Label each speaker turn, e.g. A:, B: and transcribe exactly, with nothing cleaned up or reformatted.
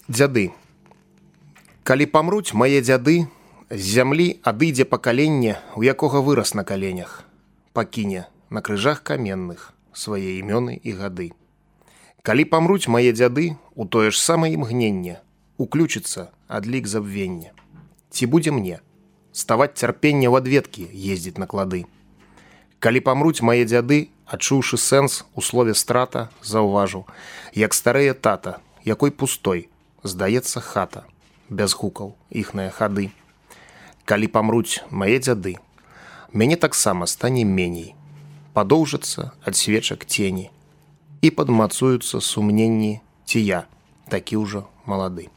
A: Дзяды. Калі памруць мае дзяды, з зямлі адыдзе пакаленне, у якога вырас на каленях, пакіне на крыжах каменных свае імёны і гады. Калі памруць мае дзяды, у тое ж самае імгненне уключыцца адлік забвення. Ці будзе мне ставаць цярпенне ў адведкі ездзіць на клады? Калі памруць мае дзяды, адчуўшы сэнс у слове страта, заўважу, як старэе тата, якой пустой здаецца хата, без гукаў іхныя хады. Калі памруць мае дзяды, мяне таксама стане меней, падоўжацца ад свечак цені і падмацуюцца сумненні, ці я такі ўжо малады.